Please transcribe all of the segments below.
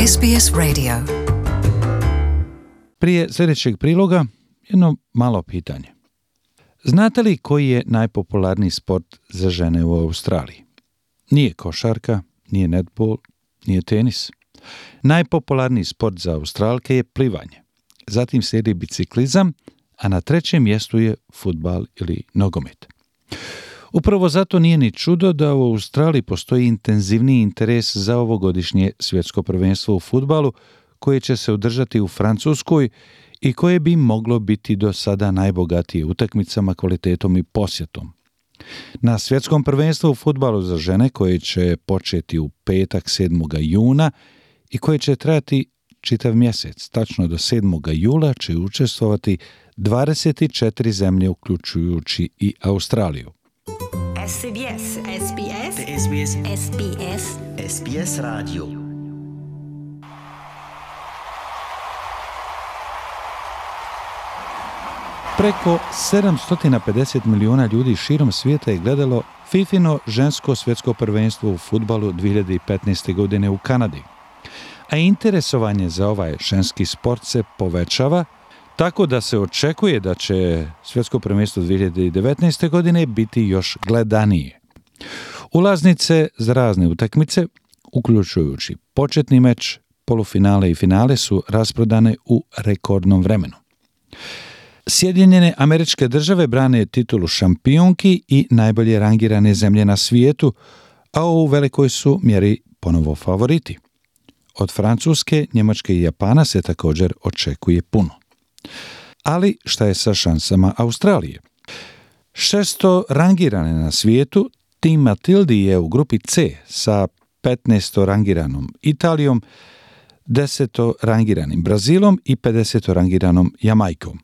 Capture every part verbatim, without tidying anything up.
S B S Radio. Prije sljedećeg priloga jedno malo pitanje. Znate li koji je najpopularniji sport za žene u Australiji? Nije košarka, nije netbol, nije tenis. Najpopularniji sport za Australke je plivanje. Zatim slijedi biciklizam, a na trećem mjestu je fudbal ili nogomet. Upravo zato nije ni čudo da u Australiji postoji intenzivniji interes za ovogodišnje svjetsko prvenstvo u fudbalu koje će se održati u Francuskoj i koje bi moglo biti do sada najbogatije utakmicama, kvalitetom i posjetom. Na svjetskom prvenstvu u fudbalu za žene koje će početi u petak sedmog juna i koje će trajati čitav mjesec, tačno do sedmog jula će učestvovati dvadeset četiri zemlje uključujući i Australiju. S B S, S B S, S B S, S B S, S B S Radio. Preko sedamsto pedeset milijuna ljudi širom svijeta je gledalo Fifino žensko svjetsko prvenstvo u fudbalu dvije hiljade petnaeste. godine u Kanadi. A interesovanje za ovaj ženski sport se povećava, tako da se očekuje da će svjetsko prvenstvo dvije hiljade devetnaeste. godine biti još gledanije. Ulaznice za razne utakmice, uključujući početni meč, polufinale i finale, su rasprodane u rekordnom vremenu. Sjedinjene Američke Države brane titulu šampionki i najbolje rangirane zemlje na svijetu, a u velikoj su mjeri ponovo favoriti. Od Francuske, Njemačke i Japana se također očekuje puno. Ali šta je sa šansama Australije? Šesto rangirane na svijetu, tim Matildi je u grupi C sa petnaesto rangiranom Italijom, deseto rangiranim Brazilom i pedeseto rangiranom Jamajkom.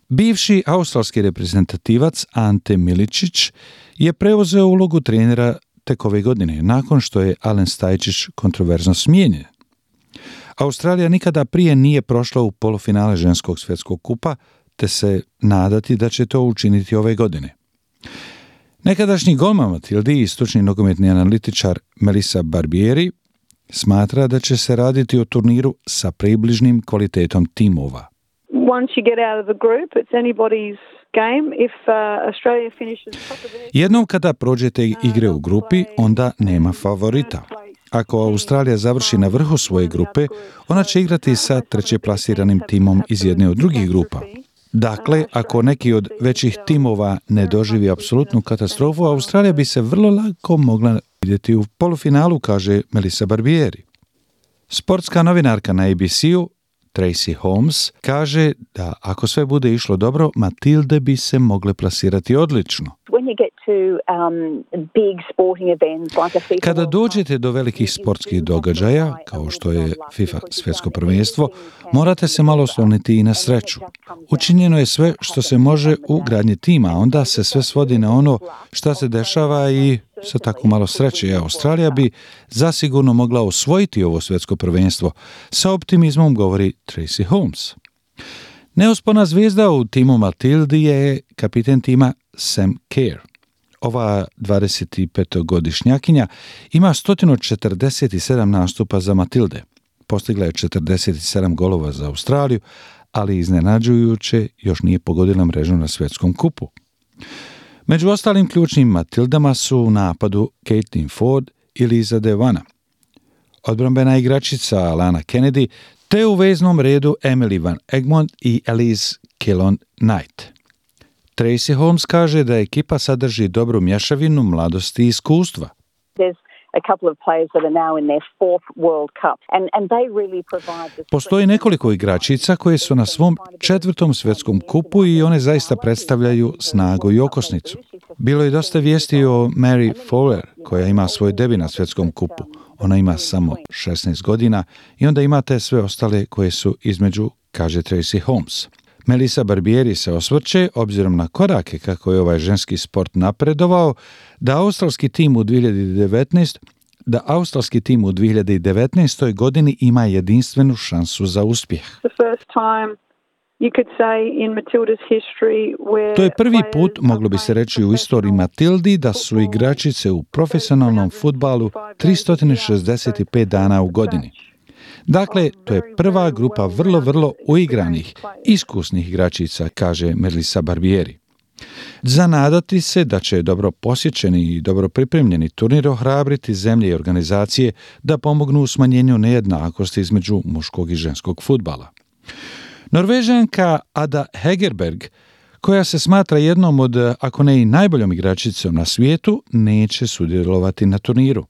Bivši australski reprezentativac Ante Miličić je preuzeo ulogu trenera tek ove godine, nakon što je Alen Stajčić kontroverzno smijenjen. Australija nikada prije nije prošla u polufinale ženskog svjetskog kupa, te se nadati da će to učiniti ove godine. Nekadašnji golman Matildi i stručni nogometni analitičar Melissa Barbieri smatra da će se raditi o turniru sa približnim kvalitetom timova. Once you get out of the group, it's anybody's game. If uh, Australia finishes top of their... Jednom kada prođete igre u grupi, onda nema favorita. Ako Australija završi na vrhu svoje grupe, ona će igrati sa trećeplasiranim timom iz jedne od drugih grupa. Dakle, ako neki od većih timova ne doživi apsolutnu katastrofu, Australija bi se vrlo lako mogla vidjeti u polufinalu, kaže Melissa Barbieri. Sportska novinarka na A B C-u Tracy Holmes kaže da ako sve bude išlo dobro, Matilde bi se mogle plasirati odlično. Kada dođete do velikih sportskih događaja, kao što je FIFA svjetsko prvenstvo, morate se malo osloniti i na sreću. Učinjeno je sve što se može u gradnji tima, onda se sve svodi na ono šta se dešava i sa tako malo sreće. Australija bi zasigurno mogla osvojiti ovo svjetsko prvenstvo. Sa optimizmom govori Tracy Holmes. Neuspona zvijezda u timu Matildi je kapiten tima Sam Kerr. Ova dvadesetpetogodišnjakinja ima sto četrdeset sedam nastupa za Matilde. Postigla je četrdeset sedam golova za Australiju, ali iznenađujuće još nije pogodila mrežu na svjetskom kupu. Među ostalim ključnim Matildama su u napadu Caitlin Ford i Liza Devana, odbrambena igračica Alana Kennedy, te u veznom redu Emily Van Egmond i Elise Kellon-Knight. Tracy Holmes kaže da ekipa sadrži dobru mješavinu mladosti i iskustva. Postoji nekoliko igračica koje su na svom četvrtom svjetskom kupu i one zaista predstavljaju snagu i okosnicu. Bilo je dosta vijesti o Mary Fowler koja ima svoj debi na svjetskom kupu. Ona ima samo šesnaest godina i onda imate sve ostale koje su između, kaže Tracy Holmes. Melissa Barbieri se osvrće, obzirom na korake kako je ovaj ženski sport napredovao, da australski tim u dvije hiljade devetnaestoj da australski tim u dvije hiljade devetnaestoj. godini ima jedinstvenu šansu za uspjeh. To je prvi put, moglo bi se reći, u istoriji Matildi da su igračice u profesionalnom fudbalu tristo šezdeset pet dana u godini. Dakle, to je prva grupa vrlo, vrlo uigranih, iskusnih igračica, kaže Melissa Barbieri. Za nadati se da će dobro posjećeni i dobro pripremljeni turnir ohrabriti zemlje i organizacije da pomognu u smanjenju nejednakosti između muškog i ženskog fudbala. Norvežanka Ada Hegerberg, koja se smatra jednom od, ako ne i najboljom igračicom na svijetu, neće sudjelovati na turniru.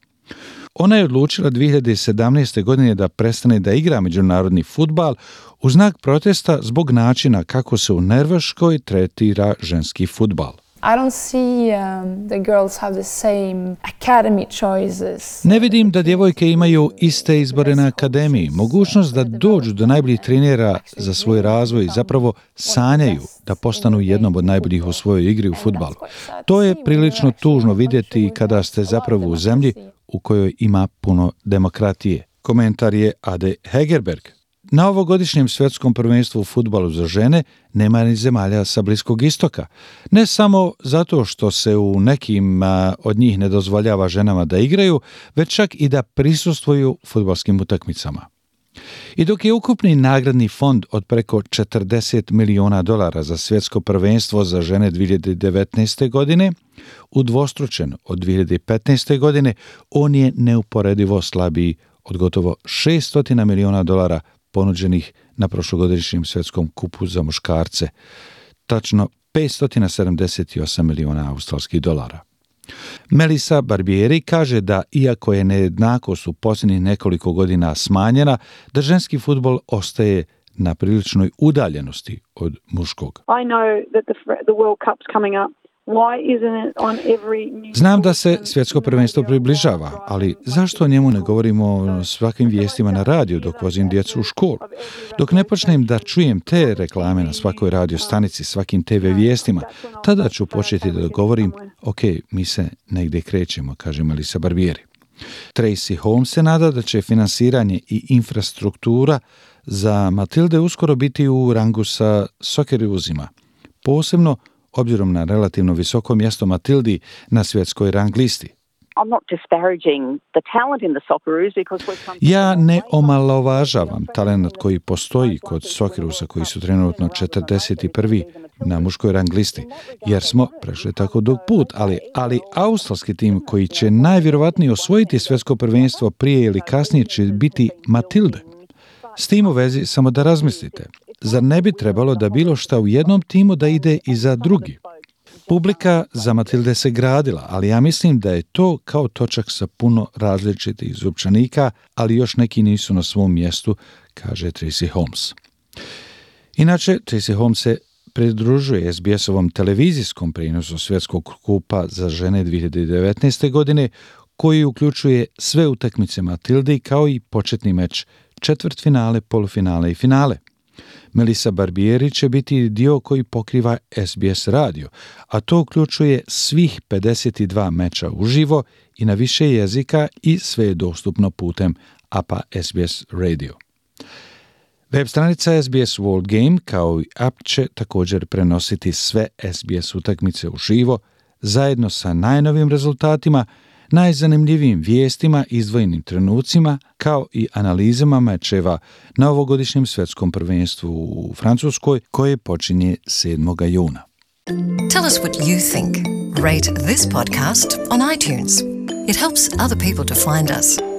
Ona je odlučila dvije hiljade sedamnaeste. godine da prestane da igra međunarodni fudbal u znak protesta zbog načina kako se u Norveškoj tretira ženski fudbal. I don't see um, the girls have the same academy choices. Ne vidim da djevojke imaju iste izbore na akademiji, mogućnost da dođu do najboljih trenera za svoj razvoj i zapravo sanjaju da postanu jednom od najboljih u svojoj igri u fudbalu. To je prilično tužno vidjeti kada ste zapravo u zemlji u kojoj ima puno demokratije. Komentar je Ade Hegerberg. Na ovogodišnjem svjetskom prvenstvu u fudbalu za žene nema ni zemalja sa Bliskog istoka. Ne samo zato što se u nekim a, od njih ne dozvoljava ženama da igraju, već čak i da prisustvuju fudbalskim utakmicama. I dok je ukupni nagradni fond od preko četrdeset miliona dolara za svjetsko prvenstvo za žene dvije hiljade devetnaeste. godine udvostručen od dvije hiljade petnaeste. godine, on je neuporedivo slabiji od gotovo šesto miliona dolara ponuđenih na prošlogodišnjem svjetskom kupu za muškarce, tačno petsto sedamdeset osam miliona australskih dolara. Melissa Barbieri kaže da, iako je nejednakost u posljednjih nekoliko godina smanjena, da ženski fudbal ostaje na priličnoj udaljenosti od muškog. I know that the, the World Cup's coming up. Znam da se svjetsko prvenstvo približava, ali zašto o njemu ne govorimo svakim vijestima na radiju dok vozim djecu u školu? Dok ne počnem da čujem te reklame na svakoj radio stanici, svakim te ve vijestima, tada ću početi da govorim, ok, mi se negdje krećemo, kaže Melissa Barbieri. Tracy Holmes se nada da će finansiranje i infrastruktura za Matilde uskoro biti u rangu sa Socceroosima, posebno obzirom na relativno visoko mjesto Matildi na svjetskoj rang listi. Ja ne omalovažavam talent koji postoji kod Soccerousa, koji su trenutno četrdeset prvi na muškoj rang listi, jer smo prešli tako dug put, ali, ali australski tim koji će najvjerovatnije osvojiti svjetsko prvenstvo prije ili kasnije će biti Matilde. S tim u vezi samo da razmislite. Zar ne bi trebalo da bilo šta u jednom timu da ide i za drugi? Publika za Matilde se gradila, ali ja mislim da je to kao točak sa puno različitih zupčanika, ali još neki nisu na svom mjestu, kaže Tracy Holmes. Inače, Tracy Holmes se pridružuje es be es-ovom televizijskom prenosu svjetskog kupa za žene dvije hiljade devetnaeste. godine, koji uključuje sve utakmice Matilde kao i početni meč, četvrtfinale, polufinale i finale. Melissa Barbieri će biti dio koji pokriva es be es radio, a to uključuje svih pedeset dva meča uživo i na više jezika i sve je dostupno putem apa es be es Radio. Web stranica es be es World Game kao i app će također prenositi sve es be es utakmice uživo, zajedno sa najnovim rezultatima, najzanimljivijim vijestima, izdvojenim trenucima, kao i analizama mečeva na ovogodišnjem svjetskom prvenstvu u Francuskoj, koje počinje sedmog juna. Tell us what you think. Rate this podcast on iTunes. It helps other people to find us.